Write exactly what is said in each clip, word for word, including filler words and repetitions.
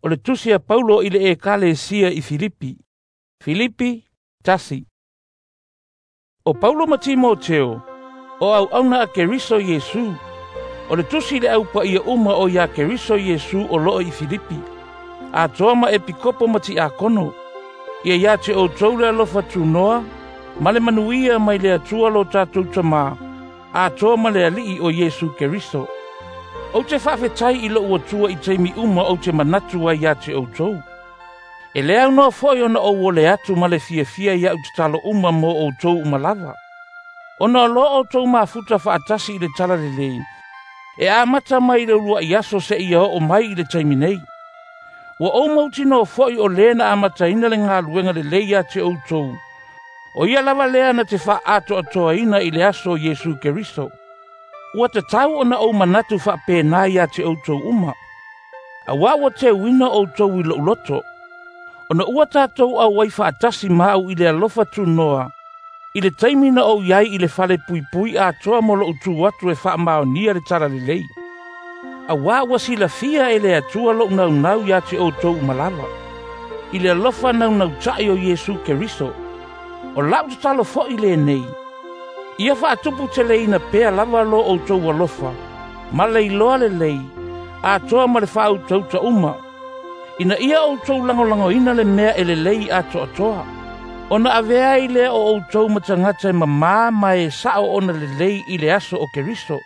O le tusi a Paulo i le Ekalesia i Filipi. Filipi, tasi. O Paulo ma Timoteo, o auauna a Keriso Iesu, o le tusi le au paia uma o ia Keriso Iesu o loo i Filipi, atoa ma epikopo ma tiakono, ia ia te outou le alofa tunoa, ma le manuia mai le Atua lo tatou Tamā, atoa ma le Alii o Iesu Keriso. Ou te faafetai i lou Atua i taimi uma ou te manatu ai ia te outou. E le aunoa foi ona ou ole atu ma le fiafia ia'u tatalo uma mo outou uma lava. Ona o loo outou mafuta faatasi i le talalelei, e amata mai i le uluai aso seia oo mai i le taimi nei. Ua ou mautinoa foi o lē na amataina le galuega lelei ia te outou, o ia lava lea na te faaatoatoaina i le aso o Iesu Keriso. Ua tatau ona ou manatu faapena ia te outou uma. Auā ua teuina outou i lou loto, ona ua tatou auai faatasi ma au i le alofa tunoa, i le taimi na ou iai i le fale puipui atoa mo lou tu atu e faamaonia le talalelei. Auā ua silafia e le Atua lou naunau ia te outou uma lava, i le alofa naunauta'i o Iesu Keriso. O la'u tatalo fo'i lenei, ia faatupu teleina pea lava lo outou alofa, ma le iloa lelei, atoa ma le faautauta uma, ina ia outou lagolagoina le mea e lelei atoatoa, ona avea ai lea o outou ma tagata e mamā ma e sa'o ona lelei i le aso o Keriso.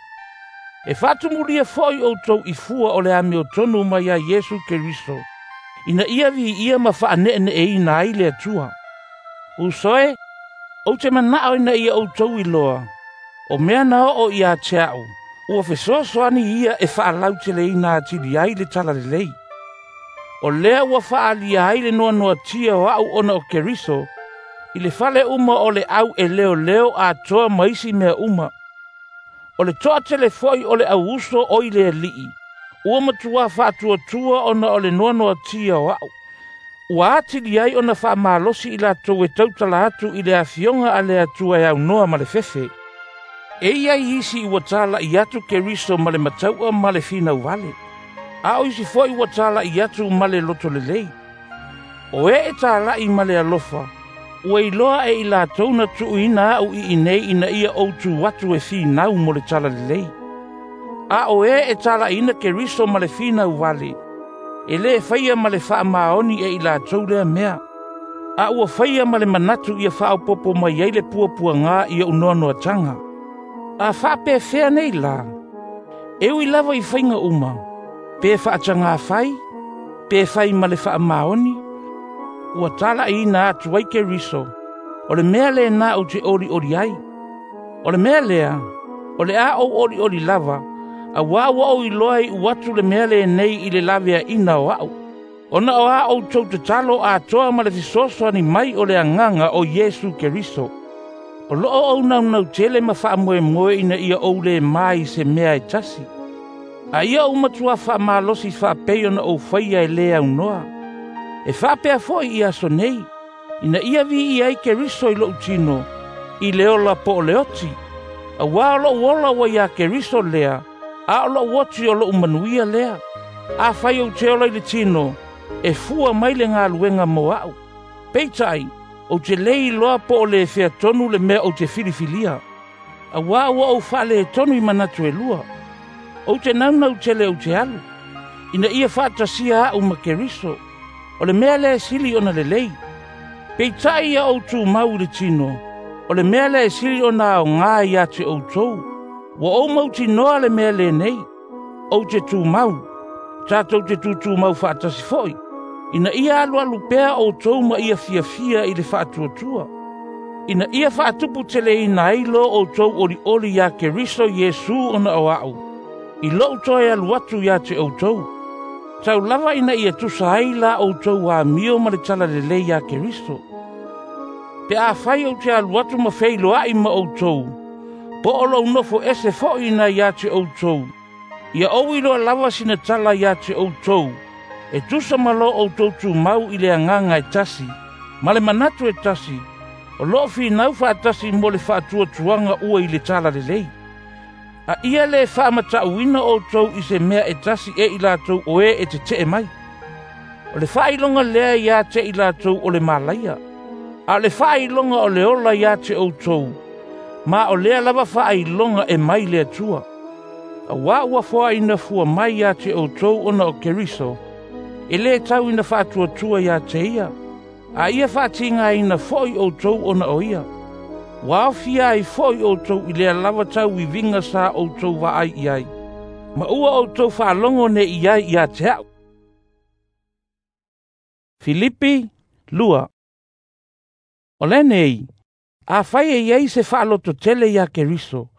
E faatumulia fo'i outou i fua o le amiotonu mai ia Iesu Keriso, ina ia viia ma faaneeneeina ai le Atua. Uso e, ou te manao ina ia outou iloa, o mea na oo ia te a'u, ua fesoasoani ia e faalauteleina atili ai le talalelei. O lea ua faaalia ai le noanoatia o a'u ona o Keriso, i le fale uma o le au e leoleo atoa ma isi mea uma. O le toatele fo'i o le auuso o i le Alii, ua matuā faatuatua ona o le noanoatia o a'u. Ua atili ai ona faamalosi i latou e tautala atu i le afioga a le Atua e aunoa ma le fefe. E i ai isi ua tala'i atu Keriso ma le matau'a ma le finau vale, a o isi fo'i ua tala'i atu ma le loto lelei. O e e tala'i ma le alofa, ua iloa e i latou na tuuina a'u i inei ina ia ou tu atu e finau mo le talalelei. A o e e tala'iina Keriso ma le finau vale, e lē faia ma le faamaoni e i latou lea mea, a ua faia ma le manatu ia faaopopo mai ai le puapuagā i o'u noanoataga. A faapefea nei lā, e ui lava i faiga uma, pe faatagā fai, pe fai ma le faamaoni, ua tala'iina atu ai Keriso, o le mea lenā ou te olioli ai. O le mea lea, o le a ou olioli lava, auā ua ou iloa i'u atu le mea lenei i le laveaina o a'u, ona o a outou tatalo atoa ma le fesoasoani mai o le Agaga o Iesu Keriso. O loo ou naunau tele ma faamoemoe ina ia ou lē ma i se mea e tasi, a ia ou matuā faamalosi faapei ona ou faia e lē aunoa. E faapea fo'i i aso nei, ina ia viia ai Keriso i lo'u tino, i le ola po o le oti, auā o lo'u ola ua iā Keriso lea, a o lo'u oti o lo'u manuia lea. Afai ou te ola i le tino, e fua mai le galuega mo a'u. Peitai, ou te lē iloa po o le featonu le mea ou te filifilia, auā ua ou faaletonu i manatu e lua. Ou te naunau tele ou te alu, ina ia faatasia a'u ma Keriso, o le mea lea e sili ona lelei. Peitai ia ou tumau i le tino, o le mea lea e sili ona aogā ia te outou. Ua ou mautinoa le mea lenei, ou te tumau, tatou te tutumau faatasi fo'i, ina ia alualu pea outou ma ia fiafia i le faatuatua, ina ia faatuputeleina ai lo outou olioli iā Keriso Iesu ona o a'u, i lo'u toe alu atu iā te outou. Tau lava ina ia tusa ai la outou amio ma le talalelei iā Keriso. Pe afai ou te alu atu ma feiloa'i ma outou, po o lou nofo ese fo'i ina ia te outou, ia ou iloa lava sina tala ia te outou, e tusa ma lo outou tumau i le agaga e tasi, ma le manatu e tasi, o loo finau faatasi mo le faatuatuaga ua i le talalelei. A ia lē faamata'uina outou i se mea e tasi e i latou o e e tete'e mai. O le faailoga lea ia te i latou o le malaia, a o le faailoga o le ola ia te outou, ma o lea lava faailoga e mai le Atua. Auā ua foaina fua mai ia te outou ona o Keriso, e lē tau ina faatuatua ia te ia, a ia faatigaina foʻi outou ona o ia. Ua aofia ai foʻi outou i lea lava tauiviga sa outou vaai i ai, ma ua outou faalogo nei i ai ia te a'u. Filipi lua. O lenei, afai e iai se faalototele ia Keriso,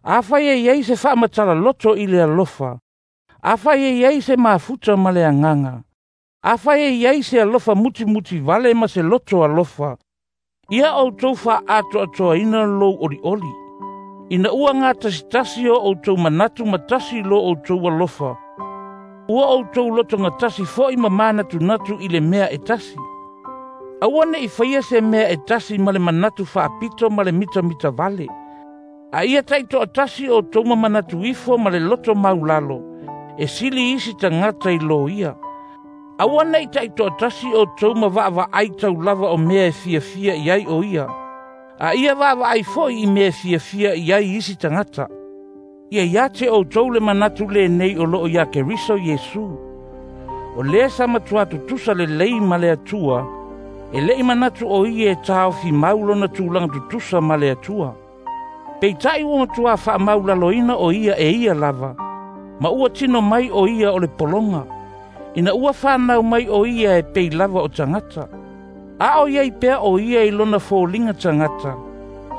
afai e iai se faamatala-loto i le alofa, afai e iai se mafuta ma le agaga, afai e iai se alofa mutimuti vale ma se loto alofa, ia outou faaatoatoaina lou olioli. Ina ua gatasitasi o outou manatu ma tasi lo outou alofa, ua outou loto gatasi foʻi ma manatunatu i le mea e tasi. Aua neʻi faia se mea e tasi ma le manatu faapito ma le mitamita vale. A ia taitoatasi outou ma manatu ifo ma le loto maulalo, e sili isi tagata i lo ia. Aua neʻi taitoatasi outou ma vaavaai taulava o mea e fiafia i ai o ia, a ia vaavaai foʻi i mea e fiafia i ai isi tagata. Ia ia te outou le manatu lenei o loo ia Keriso Iesu. O lea sa matua tutusa lelei ma le Atua, e leʻi manatu o ia e taofi mau lona tulaga tutusa ma le Atua. Peitai ua matua faamaulaloina o ia e ia lava, ma ua tino mai o ia o le pologa, ina ua fanau mai o ia e pei lava o tagata. A o iai pea o ia i lona foliga tagata,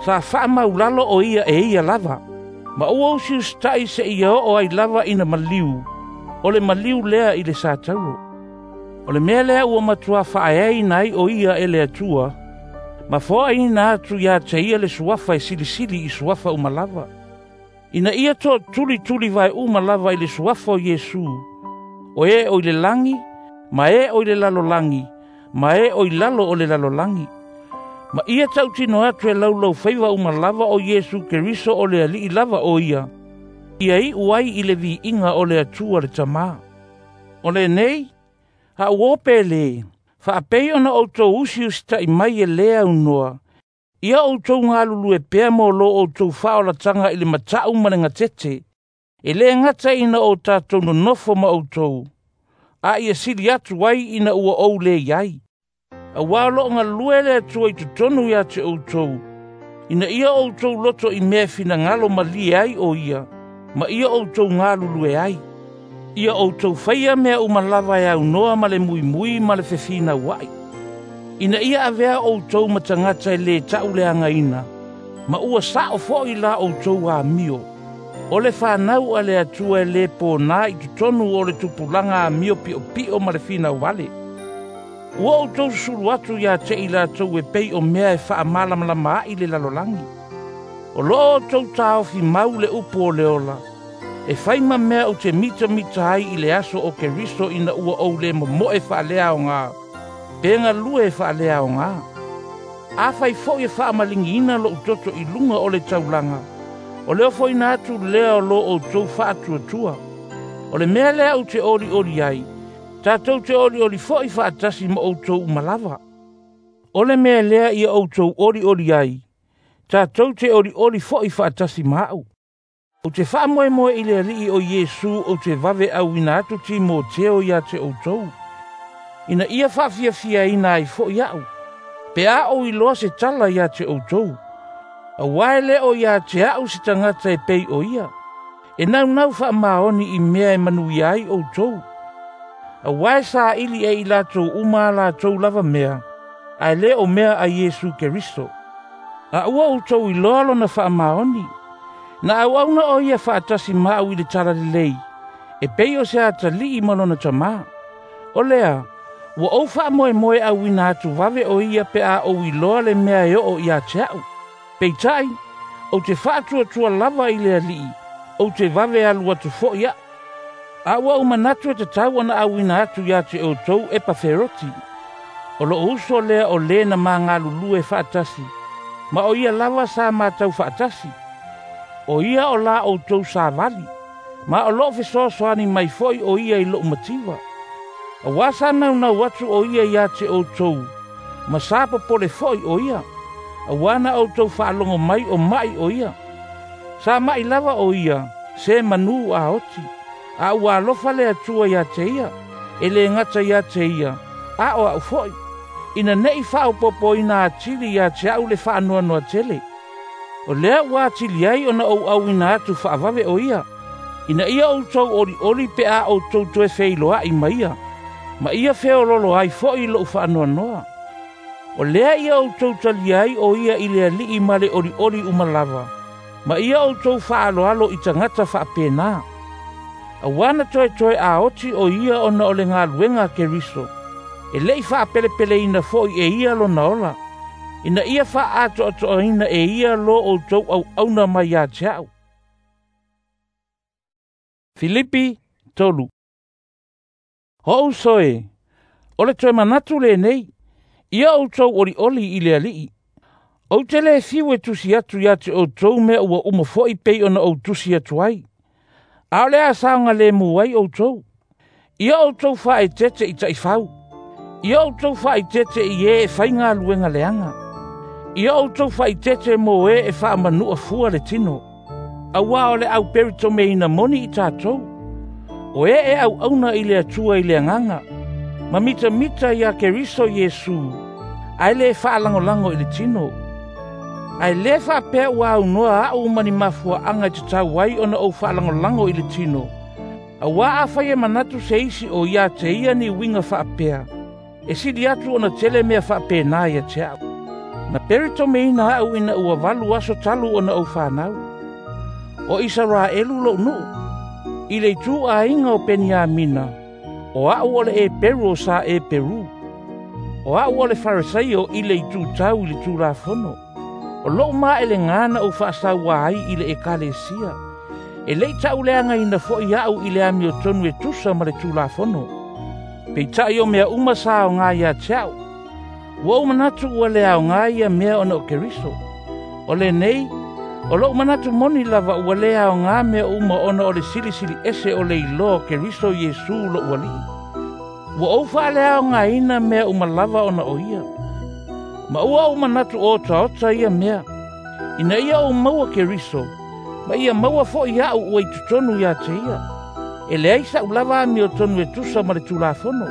sa faamaulalo o ia e ia lava, ma ua usiusitaʻi seia oo ai lava ina maliu, o le maliu lea i le satauro. O le mea lea ua matua faaeaina ai o ia e le Atua, ma foaina atu ia te ia le suafa e silisili i suafa uma lava. Ina ia toatulituli vae uma lava i le suafa o Iesu, o e o i le lagi, ma e o i le lalolagi, ma e o i lalo o le lalolagi. Ma ia tautino atu e laulau faiva uma lava o Iesu Keriso o le alii lava o ia, ia iu ai i le viiga o le Atua le Tamā. O lenei, a ua ope lē, faapei ona outou usiusitaʻi mai e lē aunoa, ia outou galulue pea mo lo outou faaolataga i le mataʻu ma le gatete, e lē gata ina o tatou nonofo ma outou, a ia sili atu ai ina ua ou lē iai. Auā o loo galue le Atua i totonu ia te outou, ina ia outou loto i mea e finagalo malie ai o ia, ma ia outou galulue ai. Ia outou faia mea uma lava e aunoa ma le muimui ma le fefinauaʻi. Ina ia avea outou ma tagata e lē taʻuleagaina, ma ua saʻo foʻi la outou amio. O le fanau a le Atua e lē pōnā i totonu o le tupulaga amio piʻopiʻo ma le finau vale. Ua outou susulu atu ia te i latou e pei o mea e faamalamalama aʻi le lalolagi. O loo outou taofi mau le upu o le ola, e fai ma mea ou te mitamita ai i le aso o Keriso ina ua ou lē momoe faaleaogā, pe galue faaleaogā. Afai foʻi e faamaligiina loʻu toto i luga o le taulaga, o le ofoina atu lea o lo outou faatuatua. O le mea lea ou te olioli ai, tatou te olioli foʻi faatasi ma outou uma lava. O le mea lea ia outou olioli ai, tatou te olioli foʻi faatasi ma aʻu. Ou te faamoemoe i le alii o Iesu ou te vave auina atu Timoteo ia te outou, ina ia faafiafiaina ai foʻi aʻu, pe a ou iloa se tala ia te outou. Auā e lē o ia te aʻu se tagata e pei o ia, e naunau faamaoni i mea e manuia ai outou. Auā e saili e i latou uma a latou lava mea, ae lē o mea a Iesu Keriso. A ua outou iloa lona faamaoni, na auauna o ia faatasi ma au i le talalelei, e pei o se atalii ma lona tamā. O lea, ua ou faamoemoe auina atu vave o ia pe a ou iloa le mea e oo ia te aʻu. Peitai, ou te faatuatua lava i le alii, ou te vave alu atu foʻi aʻu. A ua ou manatu e tatau ona auina atu ia te outou Epaferoti. O loo uso lea o lē na magalulue faatasi, ma o ia lava sa matau faatasi. O ia o la outou savali, ma o loo fesoasoani mai foʻi o ia i loʻu mativa. Auā sa naunau atu o ia iā te outou, ma sa popole foʻi o ia, auā na outou faalogo mai o maʻi o ia. Sa maʻi lava o ia, se manū a oti, a ua alofa le Atua iā te ia, e lē gata iā te ia, a o aʻu foʻi, ina neʻi faaopopoina atili iā te aʻu le faanoanoa tele. O lea ua atili ai ona ou auina atu faavave o ia, ina ia outou olioli pe a outou toe feiloaʻi ma ia, ma ia feololo ai foʻi loʻu faanoanoa. O lea ia outou talia ai o ia i le Alii ma le olioli uma lava, ma ia outou faaaloalo i tagata faapenā. Auā na toetoe aoti o ia ona o le galuega a Keriso, e leʻi faapelepeleina foʻi e ia lona ola, ina ia faaatoatoaina e ia lo outou auauna mai iā te aʻu. Filipi tolu. O uso e, o le toe manatu lenei, ia outou olioli i le Alii. Ou te lē fiu e tusi atu iā te outou mea ua uma foʻi pei ona ou tusi atu ai. A o le a saogalemu ai outou. Ia outou faaeteete i taʻifau. Ia outou faaeteete i ē e faigaluega leaga. Ia outou faaeteete mo ē e faamanuʻa fua le tino. Auā o le auperitomeina moni i tatou. O ē e auauna i le Atua i le agaga, ma mitamita iā Keriso Iesu, ae lē faalagolago i le tino. Ae lē faapea ua aunoa aʻu ma ni mafuaʻaga e tatau ai ona ou faalagolago i le tino. Auā afai e manatu se isi o iā te ia ni uiga faapea, e sili atu ona tele mea faapenā ia te aʻu. Na peritomeina aʻu ina ua valu aso talu ona ou fanau. O Isaraelu loʻu nuu, i le itu aiga o Peniamina, o aʻu o le Eperu o sa Eperu. O aʻu o le Farisaio i le itu tau i le Tulafono. O loʻu maʻelegā na ou faasauā ai i le ekalesia. E leʻi taʻuleagaina foʻi aʻu i le amiotonu e tusa ma le Tulafono. Peitaʻi o mea uma sa aogā iā te aʻu. Ua ou manatu ua le aogā ia mea ona o Keriso. O lenei, o loʻu manatu moni lava ua lē aogā mea uma ona o le silisili ese o le iloa o Keriso Iesu loʻu Alii. Ua ou faaleaogaina mea uma lava ona o ia. Ma ua ou manatu otaota ia mea, ina ia ou maua Keriso, ma ia maua foʻi aʻu ua i totonu iā te ia. E leai saʻu lava amiotonu e tusa ma le Tulafono.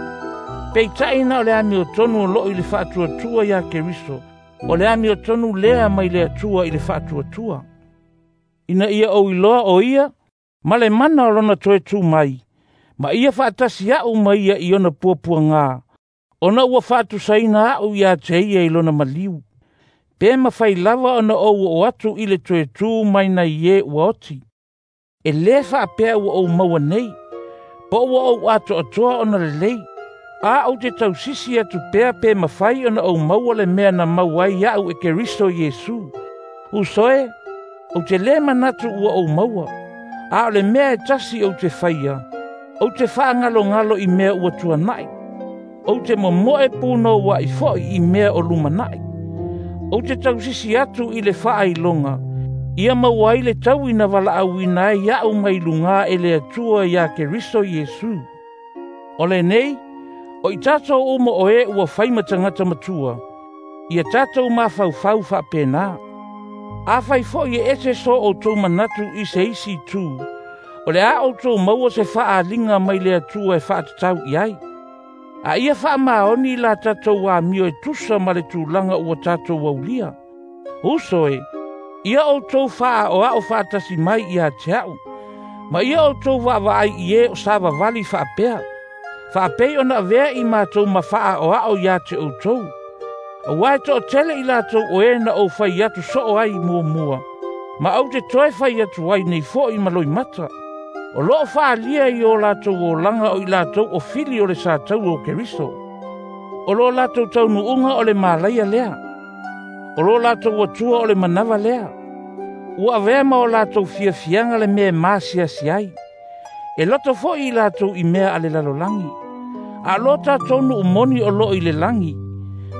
Peitaʻi na o le amiotonu o loo i le faatuatua iā Keriso, o le amiotonu lea mai le Atua i le faatuatua. Ina ia ou iloa o ia, ma le mana o lona toe tu mai, ma ia faatasi aʻu ma ia i ona puapuagā, ona ua faatusaina aʻu iā te ia i lona maliu. Pe mafai lava ona ou oo atu i le toe tu mai nai ē ua oti. E lē faapea ua ou maua nei, po ua ou atoatoa ona lelei, a ou te tausisi atu pea pe mafai ona ou maua le mea na maua ai aʻu e Keriso Iesu. Uso e, ou te lē manatu ua ou maua, a o le mea e tasi ou te faia, ou te faagalogalo i mea ua tuanaʻi. Ou te momoe punouaʻi foʻi i mea o lumanaʻi. Ou te tausisi atu i le faailoga, ia maua ai le taui na valaauina ai aʻu mai lugā e le Atua iā Keriso Iesu. O lenei, o i tatou uma o ē ua fai ma tagata matua, ia tatou mafaufau faapenā. Afai foʻi e ese so outou manatu i se isi itu, o le a outou maua se faaaliga mai le Atua e faatatau i ai. A ia faamaoni la tatou amio e tusa ma le tulaga ua tatou aulia. Uso e, ia outou faaoao faatasi mai iā te aʻu, ma ia outou vaavaai i ē o savavali faapea, faapei ona avea i matou ma faaoao iā te outou. Auā e toʻatele i latou o ē na ou fai atu soo ai muamua, ma ou te toe fai atu ai nei foʻi ma loimata. O loo faalia i o latou olaga o i latou o fili o le sataua o Keriso. O lo latou taunuuga o le malaia lea. O lo latou atua o le manava lea. Ua avea ma o latou fiafiaga le mea e masiasi ai. E loto foʻi i latou i mea a le lalolagi. A lo tatou nuu moni o loo i le lagi,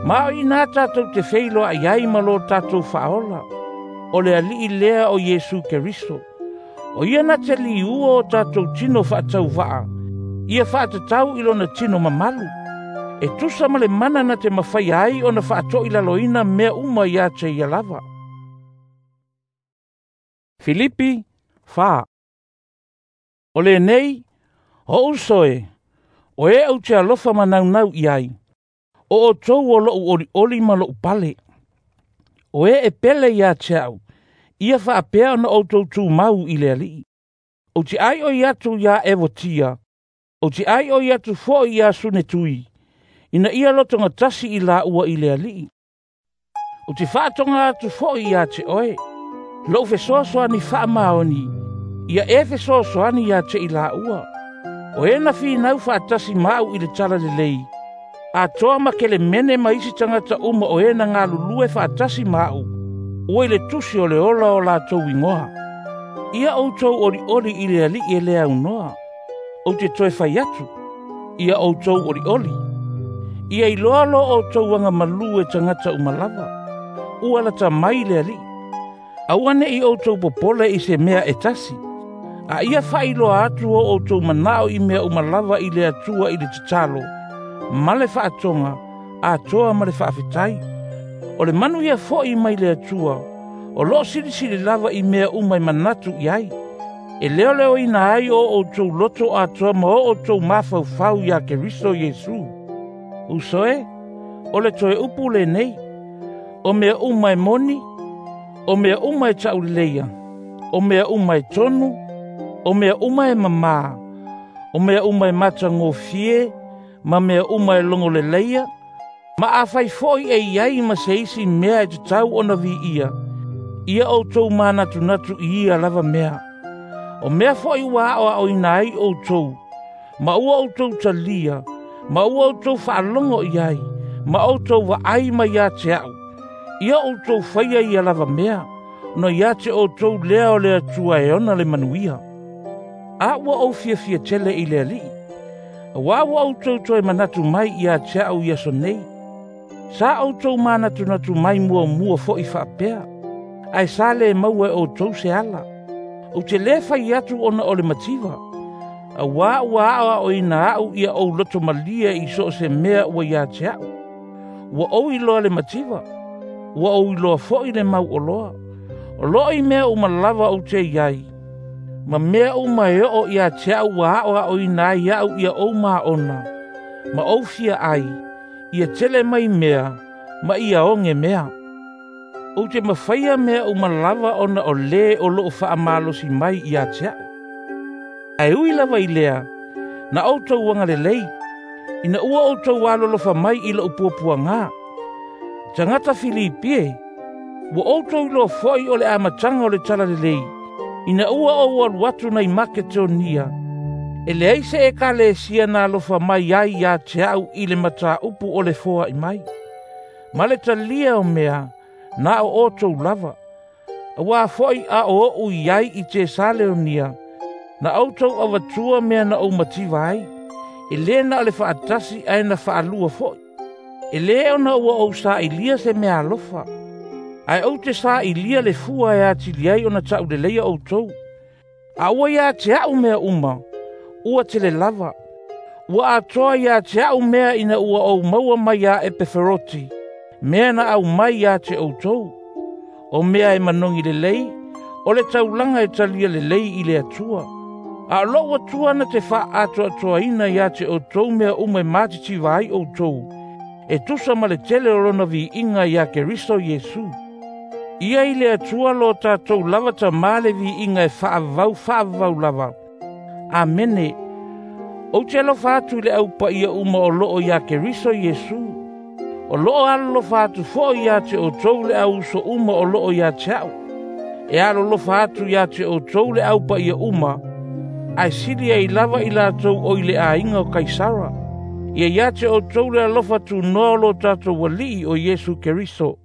ma o inā tatou te feiloaʻi ai ma lo tatou faaola. O le Alii lea o Iesu Keriso. O ia na te liua o tatou tino faatauvaa, Ia faatatau i lona tino mamalu, e tusa ma le mana na te mafaia ai ona faatoilaloina mea uma ia te ia lava. Filipi fa. O lenei, o uso e, o e au te alofa manaunau i ai, o o tou o lou oli oli ma lou pale. O e e pele ia te au, ia faapea ona outou tumau i le Alii. Ou te ai o i atu ia Evotia, ou te ai o i atu foi ia Sunetui, ina ia lotogatasi i la ua i le Alii. Ou te faatoga atu foi ia te oe, lou fesoasoani faamaoni, ia e fesoasoani ia te i la ua. O e na finau faatasi maau i le tala lelei, atoa ma Kelemene ma isi tagata uma o e na galulue faatasi maau, ua i le tusi o le ola o latou igoa. Ia outou olioli i le Alii e le aunoa. Ou te toe fai atu, ia outou olioli. Ia iloa lo outou agamalu e tagata uma lava. Ua lata mai le Alii. Aua ne i outou popole i se mea e tasi. A ia faailoa atu o outou manao i mea uma lava i le Atua i le tatalo, ma le faatoga, atoa ma le faafetai. O le manu ia foi mai le Atua, o loo silisili lava i mea uma e manatu i ai. E leoleoina ai o outou loto atoa ma o outou mafaufau ia Keriso Iesu. Uso e, o le toe upu lenei, o mea uma e moni, o mea uma e tauleia, o mea uma e tonu, o mea uma e mamā, o mea uma e matagofie, ma mea uma e logoleleia, ma afai foi e iai ma se isi mea e tatau ona viia, ia outou manatunatu i ia lava mea. O mea foi ua aoaoina ai outou, ma ua outou talia, ma ua outou faalogo i ai, ma outou vaai mai ia te au, ia outou faia ia lava mea, ona ia te outou lea o le Atua e ona le manuia. A ua ou fiafia tele i le Alii, auā ua outou toe manatu mai ia te au i aso nei. Sa outou manatunatu mai muamua foi faapea, ae sa le maua e outou se ala. Ou te lē fai atu ona o le mativa, auā ua aoaoina au ia ou loto malie i so o se mea ua ia te au. Ua ou iloa le mativa, ua ou iloa foi le mauoloa. O loo i mea uma lava ou te iai, ma mea uma e oo ia te au ua aoaoina ai au ia ou maona, ma ou fia ai, ia tele mai mea, ma ia oge mea. Ou te mafaia mea uma lava ona o lē o loo faamalosi mai ia te au. Ae ui lava i lea, na outou agalelei, ina ua outou alolofa mai i lou puapuagā. Tagata Filipi e, ua outou iloa foi o le amataga o le tala lelei, ina ua ou alu atu nai Maketonia, e leai se ekalesia na alofa mai ai ia te au i le mataupu o le foai mai. Ma le talia o mea, na o outou lava. Auā foi a o ou i ai i Tesaleonia, na outou avatua mea na ou mativa ai, e lē na o le faatasi ae na faalua foi. E lē ona ua ou sailiia se mea alofa, ae ou te sailia le fua e atili ai ona tauleleia outou. A ua ia te au mea uma, ua tele lava. Ua atoa ia te au mea ina ua ou maua mai ia Epeferoti, mea na aumai ia te outou. O mea e manogi lelei, o le taulaga e talia lelei i le Atua. A o lou Atua na te faaatoatoaina ia te outou mea uma e matitiva ai outou, e tusa ma le tele o lona viiga ia Keriso Iesu. Ia i le Atua lo tatou lava tamā le viiga e faavavau faavavau lava. Amene. Ou te alofa atu i le aupaia uma o loo ia Keriso Iesu. O loo alolofa atu foi ia te outou le auuso uma o loo ia te au. E alolofa atu ia te outou le aupaia uma, ae sili ai lava i latou o i le aiga o Kaisara. Ia ia te outou le alofa tunoa o lo tatou Alii o Iesu Keriso.